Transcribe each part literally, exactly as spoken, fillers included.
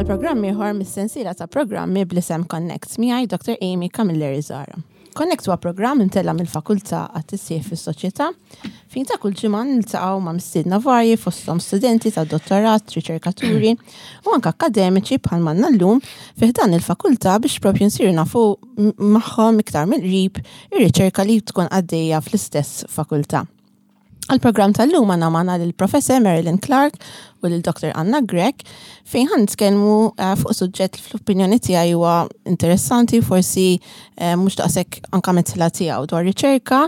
Għal programm ieħor mis-sensiela ta' programmi bl-isem Connect miegħi Doctor Amy Camilleri Zara. Connect huwa programm imtella' mill-Fakultà għat-Tisħiħ fis-Soċjetà fejn ta' kull ġimgħa niltaqgħu ma' mistiedna varji, fosthom studenti ta' dottorat, riċerkaturi u anke akkademiċi bħal manna llum fi ħdan il-fakultà biex propju nsiru nafu magħhom iktar mill-qrib ir-riċerka li tkun għaddejja fl-istess fakultà. Għal-programm tal-lum għandna magħna lill-Professor Marilyn Clark u lil Doctor Anna Grech, fejn ħa nitkellmu eh, fuq suġġett li fl-opinjoni tiegħi huwa interessanti, forsi eh, mhux daqshekk anka mitla tiegħu, dwar riċerka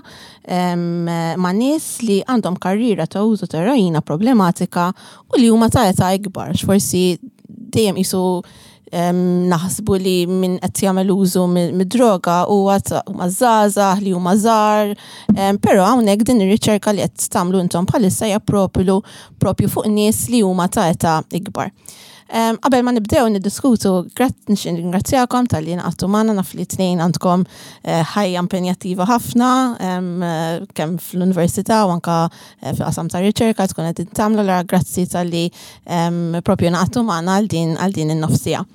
ma' nies li għandhom karriera ta' użu ta' eroina problematika u li huma ta' età ikbar. Forsi dejjem qisu naħsbu li min qed jagħmel użu mid-droga huwa huma żgħażagħ li huma żgħar, però hawnhekk din ir-riċerka li qed tagħmlu intom bħalissa hija propju propju fuq nies li huma ta' età ikbar. Qabel ma nibdew niddiskutu, nirringrazzjakom talli ngħaqadtu magħna. Naf li tnejn għandkom eh, ħajja impenjattiva ħafna, kemm fl-università u anka eh, fil-qasam ta' riċerka tkun qed tagħmlu, la grazzi talli propju ngħaqadtu magħna għal din għal din in-nofs siegħa.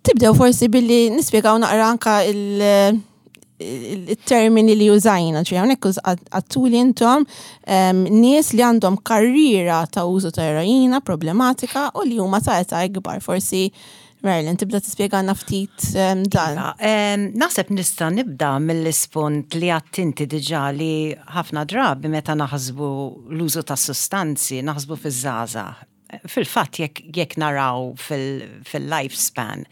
Tibdew forsi billi nispjegaw naqra anka il- il-termini li użajna, ġi hawnhekk għedtuli intom nies li għandhom karriera ta' użu ta' eroina problematika u li huma ta' età ikbar. Forsi Marilyn, tibda tispjegana ftit dan. Iva, naħseb nista' nibda mill-ispunt li għedt inti diġà, li ħafna drabi meta naħsbu l-użu ta' sustanzi, naħsbu fiż-żgħażagħ. Fil-fatt, jekk, jekk naraw fil-lifespan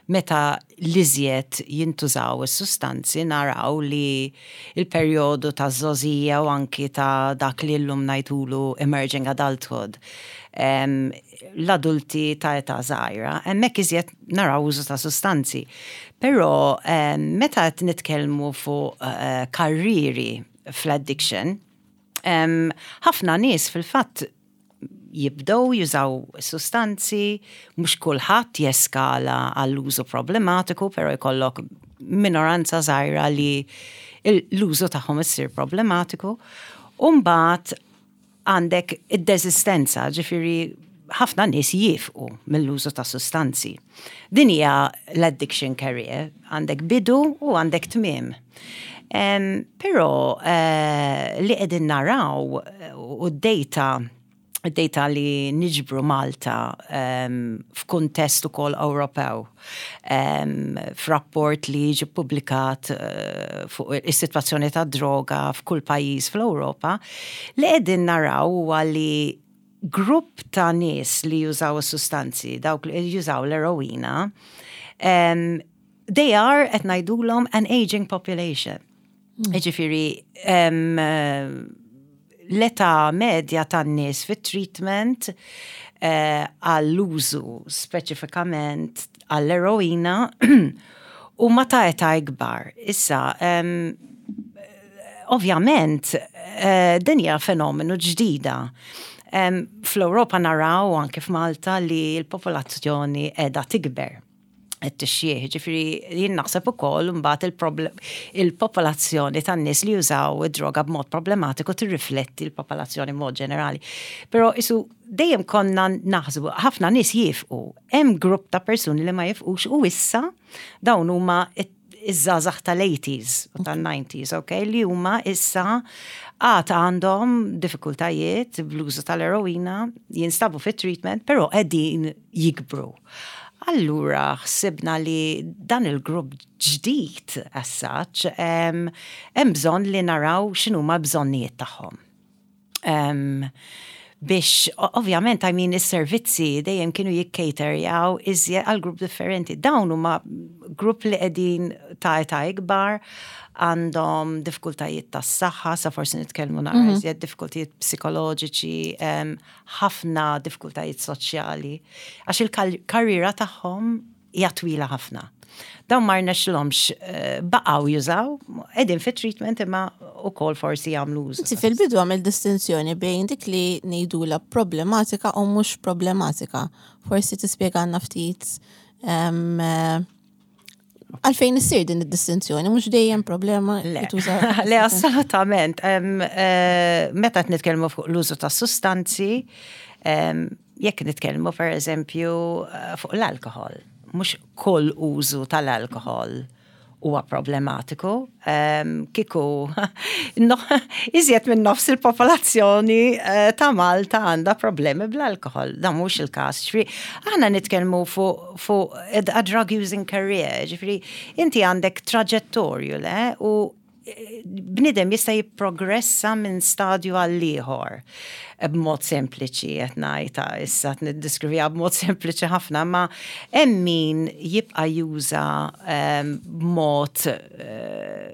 meta l-iżjed jintużaw is-sustanzi, naraw li il-perjodu ta' żgħożija u anki ta' dak li llum ngħidulu emerging adulthood, l-adulti ta' età żgħira, hemmhekk iżjed naraw użu ta' sustanzi. Però meta qed nitkellmu fuq eh, karriri fl-addiction, ħafna nies fil-fatt jibdew jużaw sustanzi, mhux kulħadd jeskala għall-użu problematiku, però jkollok minoranza żgħira li l-użu tagħhom issir problematiku. U mbagħad għandek id-desistenza, ġifieri ħafna nies jifqu mill-użu ta' sustanzi. Din hija l-addiction career, għandek bidu u għandek tmiem. Um, però uh, li qegħdin naraw u d-data data li niġbru Malta um, f'kuntest ukoll Ewropew, um, f'rapport li ġi publikat uh, fuq is-sitwazzjoni ta' droga f'kull pajjiż fl-Ewropa, li qegħdin naraw huwa li grupp ta' nies li jużaw sustanzi, dawk li jużaw l-eroina, um, they are, qed ngħidulhom, an aging population. Mm. Ġifieri, um, l-età medja tan-nies fit-treatment eh, għall-użu speċifikament għall-eroina u ma ta' età ikbar. Issa, um, ovvjament, eh, din hija fenomenu ġdida. Um, Fl-Ewropa naraw, anke f'Malta, li l-popolazzjoni qiegħda tikber, qed tixjieħ, ġifieri jien naħseb ukoll mbagħad il-popolazzjoni tan-nies li jużaw id-droga b'mod problematiku tirrifletti l-popolazzjoni b'mod ġenerali. Però isu dejjem konna naħsbu ħafna nies jifqu, hemm grupp ta' persuni li ma jifqux u issa dawn huma iż-żgħażagħ tal-eighties u tal-nineties, ok, li huma issa għad għandhom diffikultajiet bl-użu tal-eroina, jinstabu fit-treatment, però qegħdin jikbru. Allura ħsibna li dan il-grupp ġdid as such, hemm bżonn li naraw x'inhuma bżonnijiet tagħhom. Um, biex, ovvjament, I mean, is-servizzi dejjem kienu jikkaterjaw iżjed għal grupp differenti. Dawn huma grupp li qegħdin ta' età ikbar, għandhom diffikultajiet tas saħħa, sa forsi nitkellmu naqra mm -hmm. iżjed diffikultajiet psikoloġiċi, ħafna diffikultajiet soċjali, għax il-karriera tagħhom hija twila ħafna. Dawn ma rnexxilhomx, eh, baqgħu jużaw, qegħdin fit treatment imma ukoll forsi jagħmlu użu. Inti fil-bidu għamil distinzjoni bejn dik li ngħidula problematika u mhux problematika. Forsi tispjegana ftit eh, għalfejn issir din id-distinzjoni, mhux dejjem problema. Le, le, assolutament. Eh, meta qed nitkellmu fuq l-użu ta' sustanzi, Jekk nitkellmu per eżempju eh, fuq l-alkohol, mhux kull użu tal-alkohol huwa problematiku. Um, kiku, no, iżjed minn nofs il-popolazzjoni uh, ta' Malta għandha problemi bl-alkohol. Dan mhux il-każ. Ġifieri, aħna nitkellmu fuq fu a drug using career, ġifieri, inti għandek traġettorju, le, u eh, bnidem jista' jipprogressa minn stadju għal ieħor b'mod sempliċi qed ngħidha issa qed niddeskriviha b'mod sempliċi ħafna, ma hemm min jibqa' juża ehm, b'mod eh,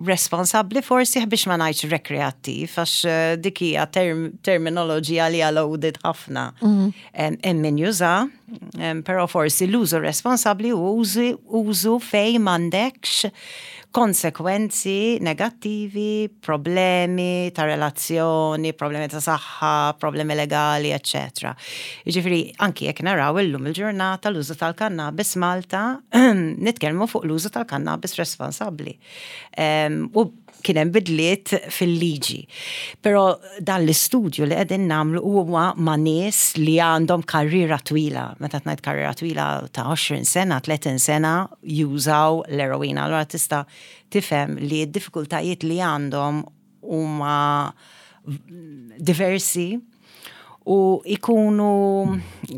responsabbli, forsi biex ma ngħidx rekreattiv, għax eh, dik hija term, terminoloġija li hija loaded ħafna. Hemm hemm min juża, em, però forsi l-użu responsabbli u użu, użu fej m'għandekx konsekwenzi negattivi, problemi ta' relazzjoni, problemi ta' saħħa, problemi legali, eccetera. Jiġifieri, anki jekk naraw illum il-ġurnata l-użu tal-kannabis Malta, nitkellmu fuq l-użu tal-kannabis responsabbli. Um, u kien hemm bidliet fil-liġi. Però dan l-istudju li qegħdin nagħmlu huwa ma' nies li għandhom karriera twila. Meta ngħid karriera twila ta' għoxrin sena, tletin sena jużaw l-eroina. Allora tista' tifhem li d-diffikultajiet li għandhom huma diversi u ikunu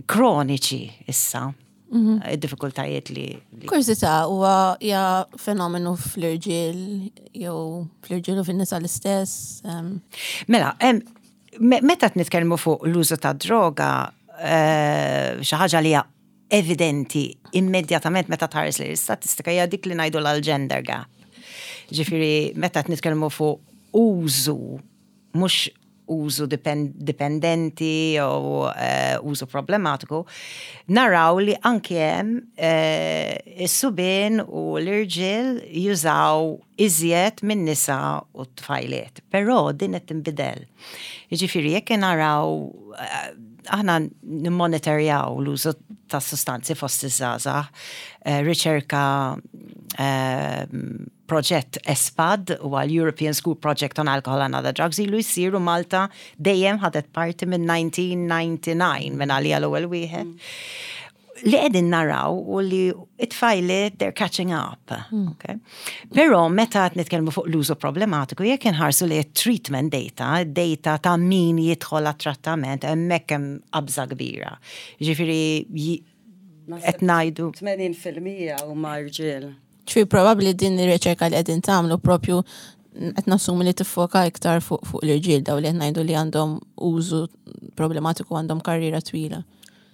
kroniċi issa. Id-diffikultajiet li, li Kurżità, huwa hija fenomenu fl-irġiel jew fl-irġiel u fin-nisa l-istess? em, Mela, em, me- meta nitkellmu fuq l-użu ta' droga, eh, xi ħaġa li hija evidenti immedjatament meta tħares li l-istatistika hija dik li ngħidu l-gender gap. Ġifieri, meta nitkellmu fuq użu, mhux użu dipendenti jew uh, użu problematiku, naraw li anke hemm uh, is-subien u l-irġiel jużaw iżjed minn nisa u tfajliet. Però din qed tinbidel. Jiġifieri jekk naraw uh, aħna nimmonitorjaw l-użu ta' sustanzi fost iż-żgħażagħ, riċerka, proġett ESPAD u għal European School Project on Alcohol and Other Drugs ilu jisiru, Malta dejjem ħadet parti minn elf disa' mija u disgħa u disgħin, minn għalija l-ewwel wieħed. Li qegħdin naraw u li it-tfajliet they're catching up. Mm. Okay? Però meta qed nitkellmu fuq l-użu problematiku, jekk inħarsu li treatment data, data ta' min jidħol għat-trattament, hemmhekk hemm qabża kbira. Ġifieri qed ngħidu tmenin fil-mija huma rġiel. Ċfi probabli din ir-riċerka li qegħdin tagħmlu propju qed nassumi li tiffoka iktar fuq fuq l-irġiel, daw li qed ngħidu li għandhom użu problematiku, għandhom karriera twila.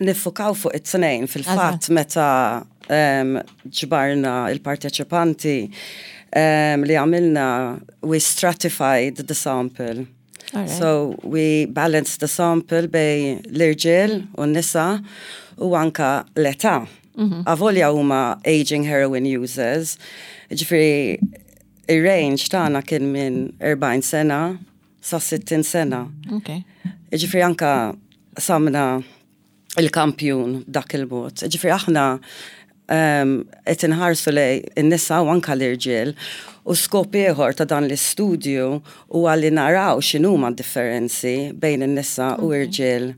Niffukaw fuq it-tnejn. Fil-fatt, meta ġbarna il-parteċipanti, li għamilna, we stratified the sample. Right. So we balanced the sample bejn l-irġiel u n-nisa u anka l-età. Mm -hmm. Avolja huma aging heroin users, ġifieri ir-range tagħna kien minn erbgħin sena sa sittin sena. Okay. Ġifieri anka qsamna il-kampjun dak il-mod. Ġifieri aħna qed inħarsu lejn in-nisa u anka l-irġiel, u skop ieħor ta' dan l-istudju huwa li naraw x'inhuma differenzi bejn in-nisa u irġiel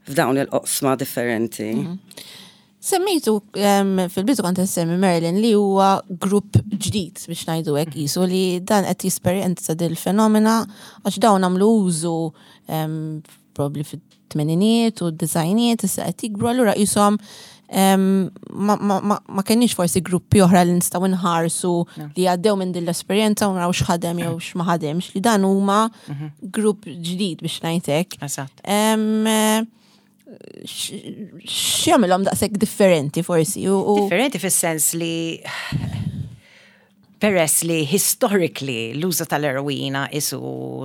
f'dawn il-oqsma differenti. Mm -hmm. Semmejtu fil-bidu, kont semmi Merlin, li huwa grupp ġdid biex ngħidu hekk, qisu li dan qed jesperjenza dil-fenomena għax dawn għamlu użu probably fit-tmeniniet u d-disgħiniet, issa qed jikbru, allura qishom ma, ma, ma, ma kenniex forsi gruppi oħra li nistgħu nħarsu li għaddew minn din l-esperjenza u naraw x'ħadem jew x'ma ħademx, li dan huma grupp ġdid biex ngħidlek. Eżatt. X'jagħmilhom daqshekk differenti forsi? U, u... Differenti fis-sens li peress li historically l-użu tal-eroina isu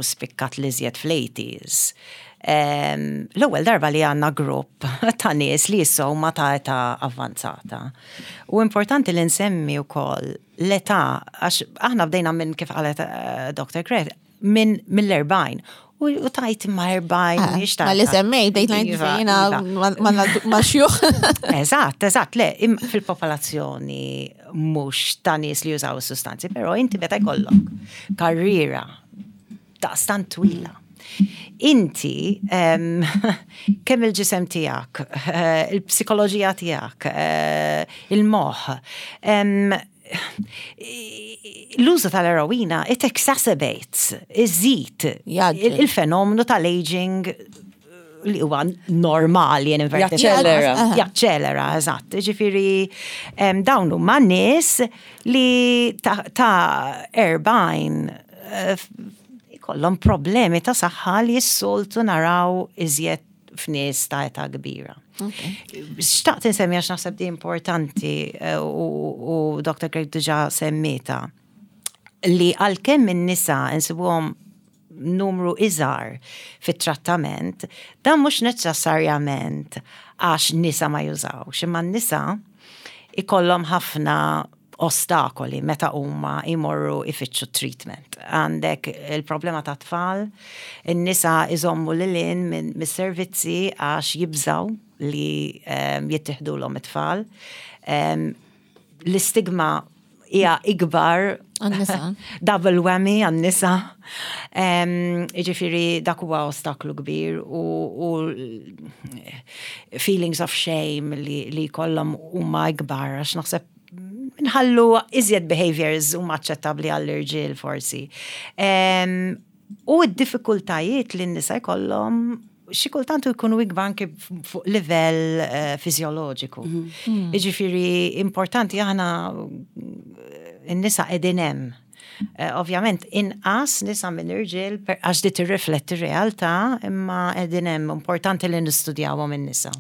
spikkat l-iżjed fl-eighties. Um, l-ewwel darba li għandna grupp ta' nies li issa huma ta' età avvanzata. U importanti li nsemmi wkoll l-età, għax aħna bdejna minn, kif qalet uh, Doctor Craig, minn mill-erbgħin. U, u tajt ma' erbgħin, Ah, mhix ma li semmejt, bdejt ngħid Iva, fejna iva. ma xjuħ. Eżatt, eżatt, le, im- fil-popolazzjoni mhux ta' nies li jużaw sustanzi, però inti meta jkollok karriera daqstant twila. Inti, um, kemm il-ġisem tiegħek, eh, il-psikoloġija tiegħek, eh, il-moħ, um, l-użu tal-eroina, it exacerbates, iżid Jgħaġġel. il-fenomenu tal-aging li huwa normali in inverted Jaċċelera. Jaċċelera, eżatt. Ġifieri, em, dawn huma nies li ta' ta' erbgħin eh, ikollhom problemi ta' saħħa li s-soltu naraw iżjed f'nies ta' età kbira. Xtaqt insemmi għax naħseb di importanti eh, u, u Doctor Grech diġà semmietha li għalkemm in-nisa insibuhom numru iżgħar fit-trattament, dan mhux neċessarjament għax nisa ma jużawx, imma n-nisa ikollhom ħafna ostakoli meta huma jmorru ifittxu treatment. Għandek il-problema ta' tfal, in-nisa iżommu lil hinn minn mis-servizzi għax jibżaw li um, jittieħdulhom it-tfal. Um, l-istigma hija ikbar Għan-nisa. Double whammy għan-nisa. Um, Ġifieri dak huwa ostaklu kbir u, u feelings of shame li, li kollhom huma ikbar għax naħseb nħallu iżjed behaviors huma aċċettabbli għall-irġiel forsi. Um, u d-diffikultajiet li n-nisa jkollhom xi kultant jkunu ikbar anke fuq livell uh, fiżjoloġiku. Jiġifieri importanti aħna n-nisa qegħdin hemm. Eh, Ovvjament, inqas nisa minn irġiel per- għax di tirrifletti r-realtà, imma qegħdin hemm, importanti li nistudjawhom in-nisa.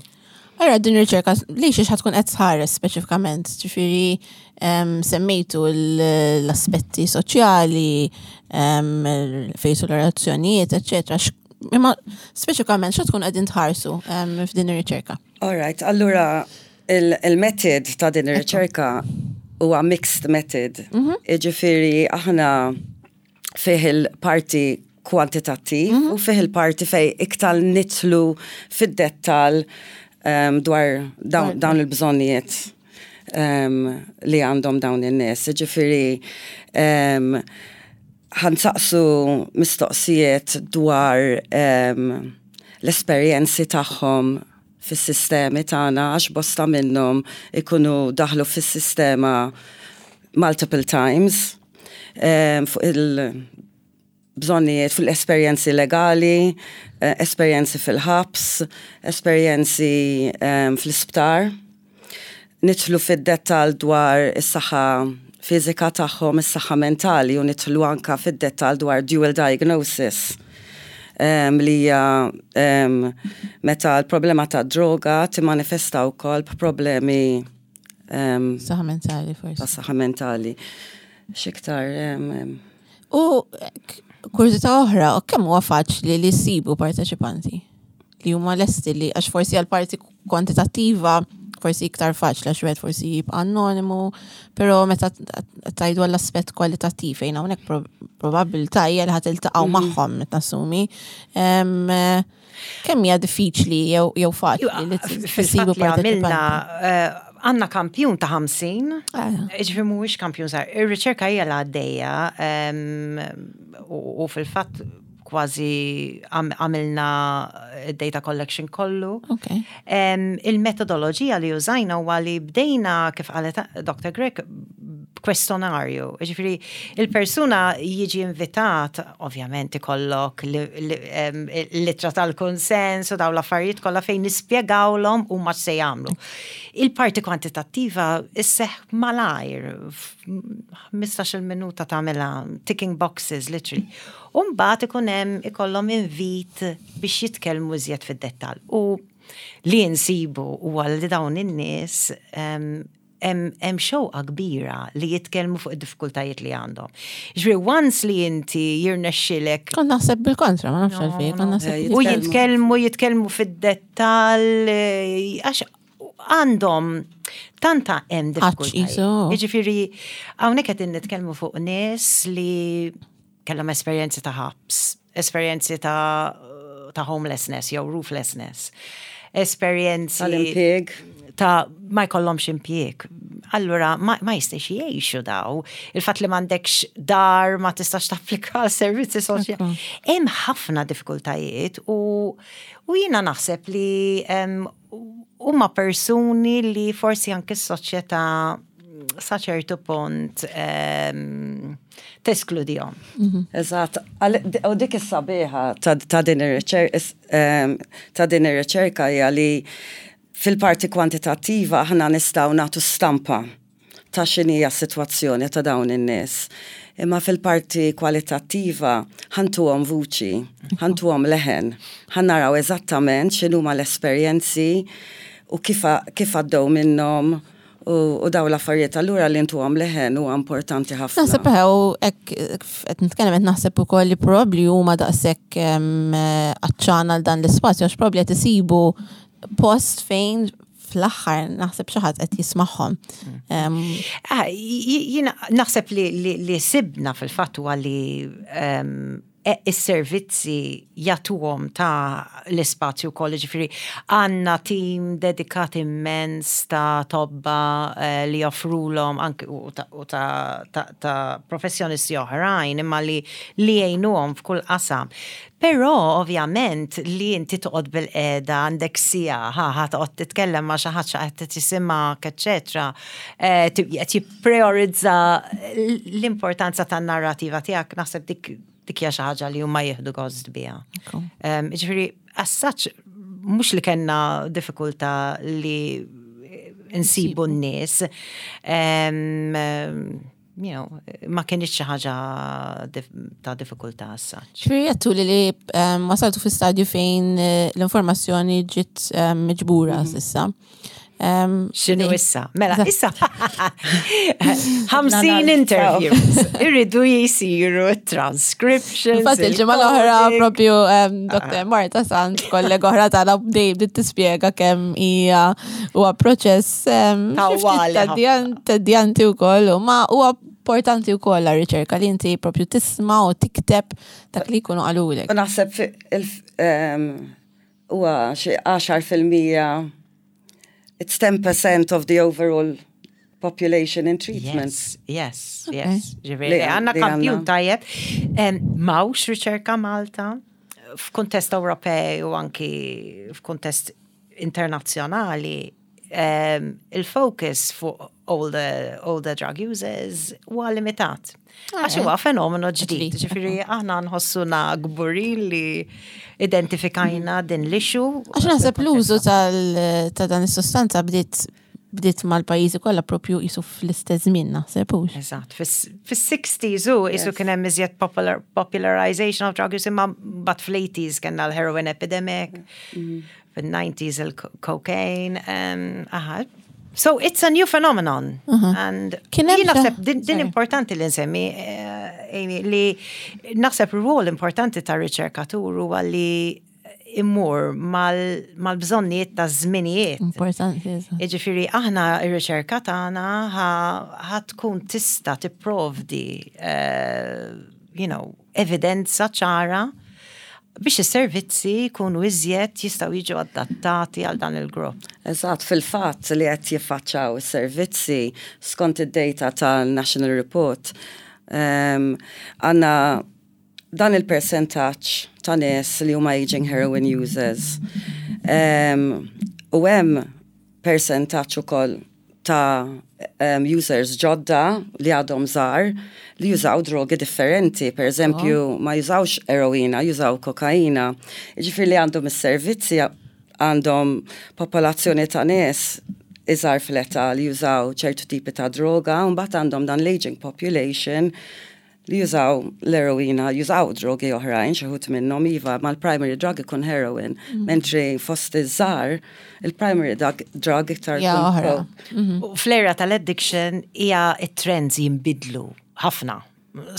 Allora, din ir-riċerka li xiex ħa tkun qed tħares speċifikament, ġifieri em, semmejtu l- l-aspetti soċjali, em, fejsu l-relazzjonijiet, eċċetera. X- Imma speċifikament xa tkun qegħdin tħarsu em, f'din ir-riċerka? All right, allura il-method ta' din ir-riċerka huwa mixed method. Iġifieri aħna fih il-parti kwantitattiv u fih il-parti fej iktar nidħlu fid-dettal um, dwar dawn, dawn il-bżonnijiet um, li għandhom dawn in-nies. Ġifieri um, ħa nsaqsu mistoqsijiet dwar um, l-esperjenzi tagħhom fis-sistemi tagħna għax bosta minnhom ikunu daħlu fis-sistema multiple times um, fuq il-bżonnijiet, fuq l-esperjenzi legali, eh, esperjenzi fil-ħabs, esperjenzi um, fl-isptar. Nidħlu fid-dettal dwar is-saħħa fiżika tagħhom, is-saħħa mentali u nidħlu anka fid-dettal dwar dual diagnosis. Um, li hija um, meta l-problema ta' droga timmanifesta wkoll b'problemi um, Saħħa mentali forsi. ta' saħħa mentali. X'iktar um, um, U k- kurżità oħra, u kemm huwa faċli li ssibu parteċipanti li huma lesti li għax forsi għal parti kwantitattiva forsi iktar faċli għax wieħed forsi jibqa' anonimu, però meta tajdu għall-aspett kwalitattiv fejn hawnhekk pro- probabilità hija li ħa tiltaqgħu magħhom meta nassumi. Em, eh, Kemm hija diffiċli jew jew faċli li Fil-fatt tsibu li għamilna parteċipanti? eh, għandna kampjun ta' ħamsin, Ah. ġifieri mhuwiex kampjun żgħir. Ir-riċerka hija l għaddejja em, u u fil-fatt kważi għam- għamilna data collection kollu. Ok. Em, Il-metodoloġija li użajna huwa li bdejna kif qalet Doctor Grech kwestjonarju. Ġifieri, il-persuna jiġi invitat, ovvjament ikollok l-ittra tal-konsens u daw l-affarijiet kollha fejn nispjegawlhom huma x'se jagħmlu. Il-parti kwantitattiva isseħ malajr, ħmistax-il minuta tagħmilha ticking boxes literally. U mbagħad ikun hemm ikollhom invit biex jitkellmu iżjed fid-dettall. U li nsibu huwa li dawn in-nies em, hemm hemm xewqa kbira li jitkellmu fuq id-diffikultajiet li għandhom. Ġifieri once li inti jirnexxilek Kont naħseb bil-kontra, ma nafx għalfejn, kont naħseb u jitkellmu jitkellmu fid-dettall eh, għax għandhom tanta hemm diffikultajiet. qisu. Jiġifieri hawnhekk qed nitkellmu fuq nies li kellhom esperjenzi ta' ħabs, esperjenzi ta' ta' homelessness jew rooflessness, esperjenzi Tal-impjieg. Ta' ma jkollhomx impjieg. Allura ma, ma jistax jgħixu daw. Il-fatt li m'għandekx dar, ma tistax tapplika għal servizzi soċjali. Hemm ħafna diffikultajiet u, u jiena naħseb li em, huma persuni li forsi anke s-soċjetà sa ċertu punt um, teskludihom. Eżatt, Għal- u dik is-sabiħa ta' ta' din ir-riċerka ta' din ir-riċerka hija li fil-parti kwantitattiva aħna nistgħu nagħtu stampa ta' x'inhija s-sitwazzjoni ta' dawn in-nies. Imma fil-parti kwalitattiva ħa ntuhom vuċi, ħa ntuhom leħen, ħa naraw eżattament x'inhuma l-esperjenzi u kif kif għaddew minnhom u, u daw l-affarijiet. Allura li ntuhom leħen huwa importanti ħafna. Naħseb u hekk qed nitkellem, qed naħseb ukoll li probabbli huma daqshekk em, għatxana għal dan l-ispazju għax probabbli qed isibu post fejn fl-aħħar naħseb xi ħadd qed jismagħhom. Em, Ah, j- Jiena naħseb li, li, li sibna fil-fatt huwa li um, is-servizzi jagħtuhom ta' l-ispazju kollu, ġifieri għandna tim dedikat immens ta' tobba eh, li joffrulhom anke u ta', u ta', ta, ta' professjonisti oħrajn imma li li jgħinuhom f'kull qasam. Però ovvjament li inti toqgħod bilqiegħda għandek siegħa, ħa ħa toqgħod titkellem ma' xi ħadd qed tisimgħek, eċetera. Eh, ti- Qed jippriorizza l-importanza tan-narrativa tiegħek, naħseb dik dik hija xi ħaġa li huma jieħdu gost biha. Um, Ġifieri, as such, mhux li kellna diffikultà li nsibu n-nies. Um, you know, ma kienx xi ħaġa dif ta' diffikultà as such. Ġifieri għedtu li li em, wasaltu fi stadju fejn eh, l-informazzjoni ġiet em, miġbura s'issa. Em, X'inhu li- issa? Mela, issa. ħamsin interviews. Irridu jisiru transcriptions. Infatti il-ġimgħa l-oħra il-coding. propju em, Doktor Marta Sant, kollega oħra tagħna, bdej bdiet tispjega kemm hija huwa proċess em, xi ftit Tawwali ħafna. tedjan- tedjanti wkoll u ma huwa importanti wkoll għar-riċerka li inti propju tisma' u tikteb dak li jkunu qalulek. U naħseb fi- il- em, huwa xi għaxar fil-mija, it's ten percent of the overall population in treatment. Yes, yes, Okay. yes. Ġifieri, Li- għandna li kampjun għandna. tajjeb. Em, M'hawnx riċerka Malta f'kuntest Ewropej u anki f'kuntest internazzjonali, em, il-focus fuq older, older drug users huwa limitat. Għax huwa fenomenu ġdid. Ġdid. Ġifieri aħna nħossuna kburin li identifikajna din l-issue. Għax naħseb l-użu tal- ta' dan is-sostanza bdiet bdiet mal-pajjiżi kollha propju jisu fl-istess żmien, naħseb, hux. Eżatt, fis-sixties u isu kien hemm iżjed popular, popularization of drug use, imma but fl-eighties kellna l-heroin epidemic, fil-nineties il-cocaine, um, aha. So it's a new phenomenon. And Kien hemm jien xi- naħseb din, din Sorry. importanti li nsemmi, eh, Amy, li naħseb rwol importanti ta' riċerkatur huwa li immur mal- mal-bżonnijiet ta' żminijiet. Importanti, eżatt. Iġifiri, aħna ir-riċerka tagħna ħa tkun tista' tipprovdi eh, you know, evidenza ċara biex is-servizzi jkunu iżjed jistgħu jiġu adattati għal dan il-grupp. Eżatt, fil-fatt li qed jiffaċċaw is-servizzi skont id-data tal-National Report, um, għandna dan il-percentaġġ ta' nies li huma aging heroin users. Um, u hemm percentaġġ ukoll ta' um, users ġodda li għadhom żgħar li jużaw drogi differenti. Per eżempju, ma jużawx eroina, jużaw kokaina. Ġifieri li għandhom is-servizzi għandhom popolazzjoni ta' nies iżgħar fl-età li jużaw ċertu tipi ta' droga, u mbagħad għandhom dan l-aging population li jużaw l-eroina, jużaw drogi oħrajn, xi wħud minnhom iva, ma l-primary drug ikun heroin, mentri fost iż-żgħar, il-primary drug, drug iktar Ja, ikun oħra. coke. U fl-era tal-addiction hija it-trends jinbidlu ħafna.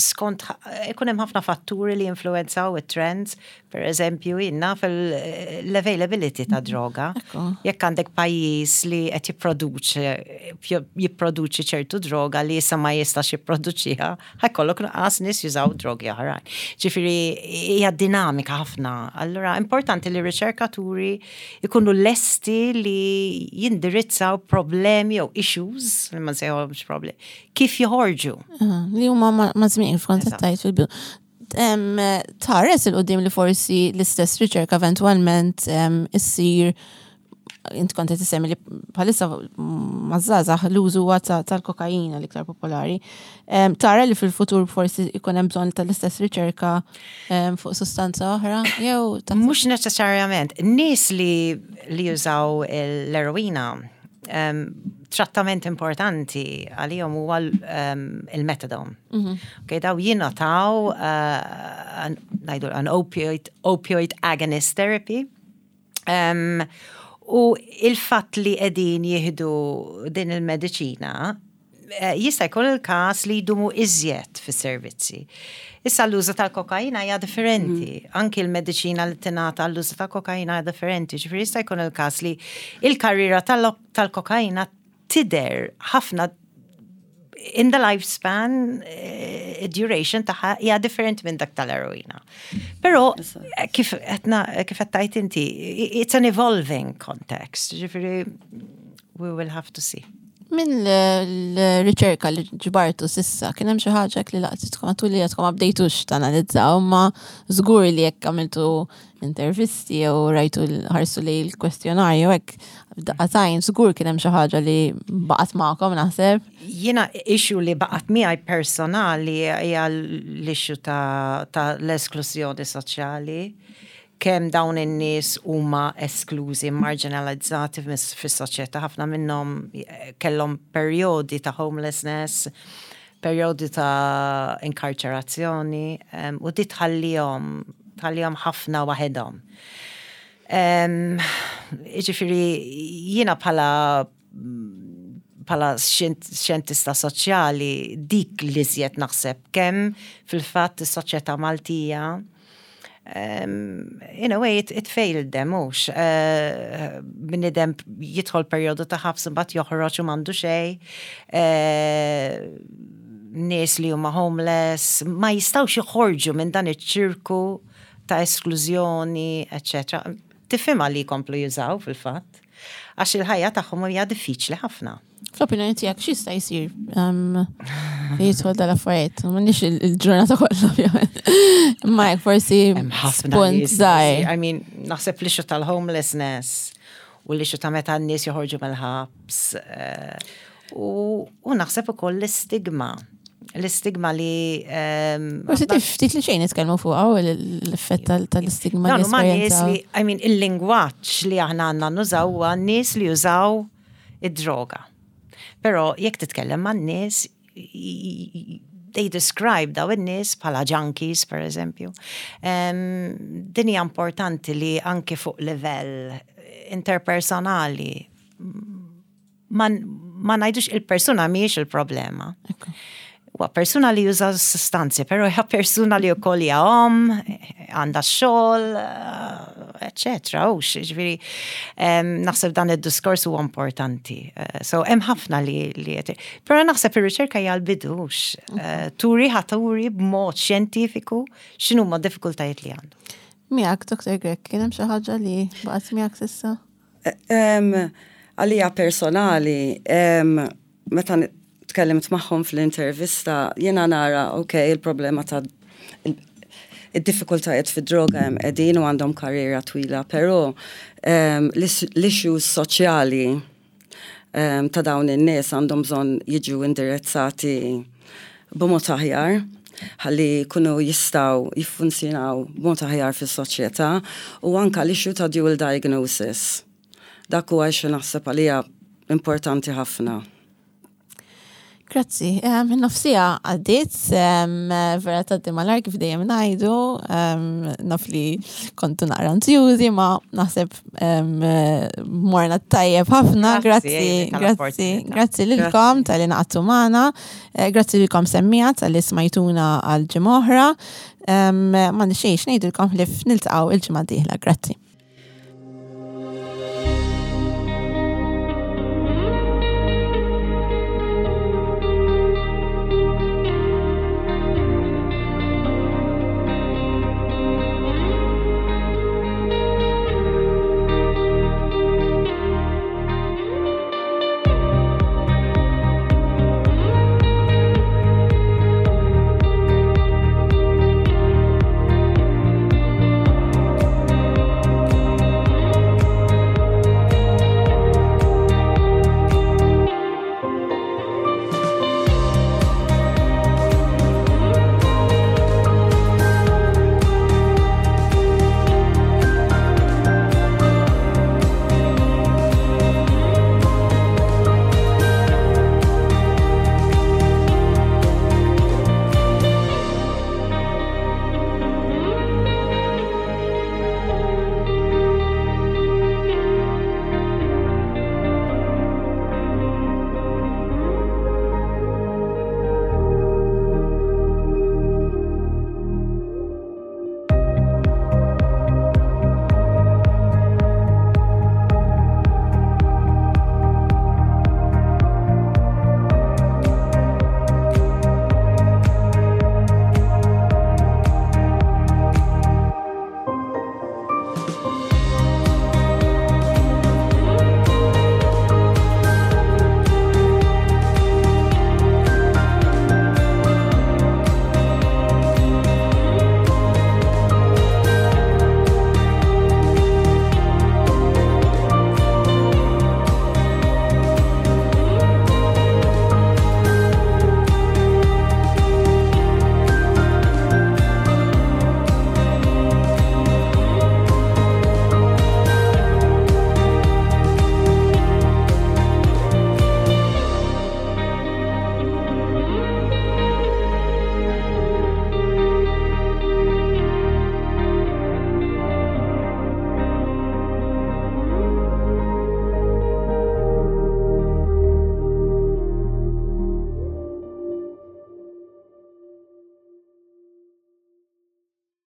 Skont ikun hemm ħafna fatturi li influenzaw it-trends, per eżempju, inna fil-availability ta' droga. Jekk għandek pajjiż li qed jipproduċi jipproduċi ċertu droga li issa ma jistax jipproduċiha, ħa jkollok nuqqas nies jużaw drogi oħrajn. Ġifieri hija dinamika ħafna. Allura importanti li riċerkaturi ikunu lesti li jindirizzaw problemi jew issues, li ma nsejħolhomx problemi, kif joħorġu. Li huma ma' żmien kont tajt fil-bidu. Tħares 'il quddiem li forsi l-istess riċerka eventualment issir, int kont qed issemmi li bħalissa maż-żgħażagħ l-użu huwa tal-kokaina l-iktar popolari. Tara li fil-futur forsi ikun hemm bżonn tal-istess riċerka fuq sustanza oħra? Jew Mhux neċessarjament. Nies li li jużaw l-eroina, trattament importanti għalihom huwa il-methadone. Mhm. Okay, daw jingħataw uh, ngħidu an opioid, opioid agonist therapy. Um, u il-fatt li qegħdin jieħdu din il-mediċina eh, jista' jkun il-każ li jdumu iżjed fis-servizzi. Issa l-użu tal-kokaina hija differenti. Mm. Anki l-mediċina li tingħata l-użu tal-kokaina hija differenti. Ġifieri jista' jkun il-każ li il-karriera tal-kokaina tidher ħafna in the lifespan, uh, duration tagħha hija differenti minn dak tal-eroina. Però eh, kif etna kif qed tgħid inti, it's an evolving context. Ġifieri we will have to see. Minn l-riċerka li ġbartu s'issa, kien hemm xi ħaġa li laqtitkom għatu li għadkom ma bdejtux tanalizzaw, ma żgur li jekk għamiltu intervisti jew rajtu ħarsu li l-kwestjonarju hekk daqatajn, żgur kien hemm xi ħaġa li baqgħet magħkom, naħseb. Jiena issue li baqgħet miegħi personali hija l-issue ta', ta l-esklużjoni soċjali, kemm dawn in-nies huma esklużi, marginalizzati fis-soċjetà, ħafna minnhom eh, kellhom perjodi ta' homelessness, perjodi ta' inkarċerazzjoni, u di tħallihom tħallihom ħafna waħedhom. Ġifieri jiena bħala bħala xjentista soċjali dik li żjed naħseb kemm fil-fatt is-soċjetà Maltija um, in a way it, it failed them, mhux. Uh, Bniedem jidħol perjodu ta' ħabs, mbagħad joħroġ u m'għandu xejn. Uh, nies li huma homeless, ma jistgħux joħorġu minn dan iċ-ċirku ta' esklużjoni, eċċetera. Tifhimha li jkomplu jużaw fil-fatt, għax il-ħajja tagħhom hija diffiċli ħafna. Fl-opinjoni tiegħek x'jista' jsir um, jidħol dal-affarijiet? M'għandniex il-ġurnata kollha, ovvjament. Ma jekk forsi punt żgħir. I mean, naħseb l-issue tal-homelessness u l-issue ta' meta n-nies joħorġu mill-ħabs eh, u naħseb ukoll l-istigma. L-istigma li. Forsi ftit li xejn nitkellmu fuq l-effett tal-istigma. No, ma nies li, I mean, il-lingwaġġ li aħna għandna nużaw huwa nies li jużaw id-droga. Però jekk titkellem man nies, they describe daw in-nies bħala junkies, per eżempju. Din hija importanti li anke fuq livell interpersonali ma, ma ngħidux il-persuna mhijiex il-problema. Huwa persuna li juża sustanzi, però hija persuna li wkoll hija om, għandha xogħol, eccetera. U ġifieri naħseb dan id-diskors huwa importanti. Eh, so hemm ħafna li li Però naħseb ir-riċerka hija l-bidux. Eh, turi ħa turi b'mod xjentifiku x'inhuma diffikultajiet li għandu. Miegħek, Doktor Grech, kien hemm xi ħaġa li baqgħet miegħek s'issa? Għalija personali, meta tkellimt magħhom fl-intervista, jiena nara, ok, il-problema ta' id-diffikultajiet fid-droga hemm qegħdin u għandhom karriera twila, però l-issues soċjali ta' dawn in-nies għandhom bżonn jiġu indirizzati b'mod aħjar ħalli kunu jistgħu jiffunzjonaw b'mod aħjar fis-soċjetà u anka l-issue ta' dual diagnosis. Dak huwa xi naħseb għalija importanti ħafna. Grazzi. Nofs siegħa għaddiet, vera tgħaddi malajr kif dejjem ngħidu, naf li kontu naqra ansjużi, ma naħseb morna tajjeb ħafna. Grazzi, grazzi, grazzi lilkom talli ngħaqadtu magħna, eh, grazzi lilkom semmiegħa talli smajtuna għal ġimgħa oħra. Ma nixxejx ngħidilkom li niltaqgħu il-ġimgħa dieħla. Grazzi.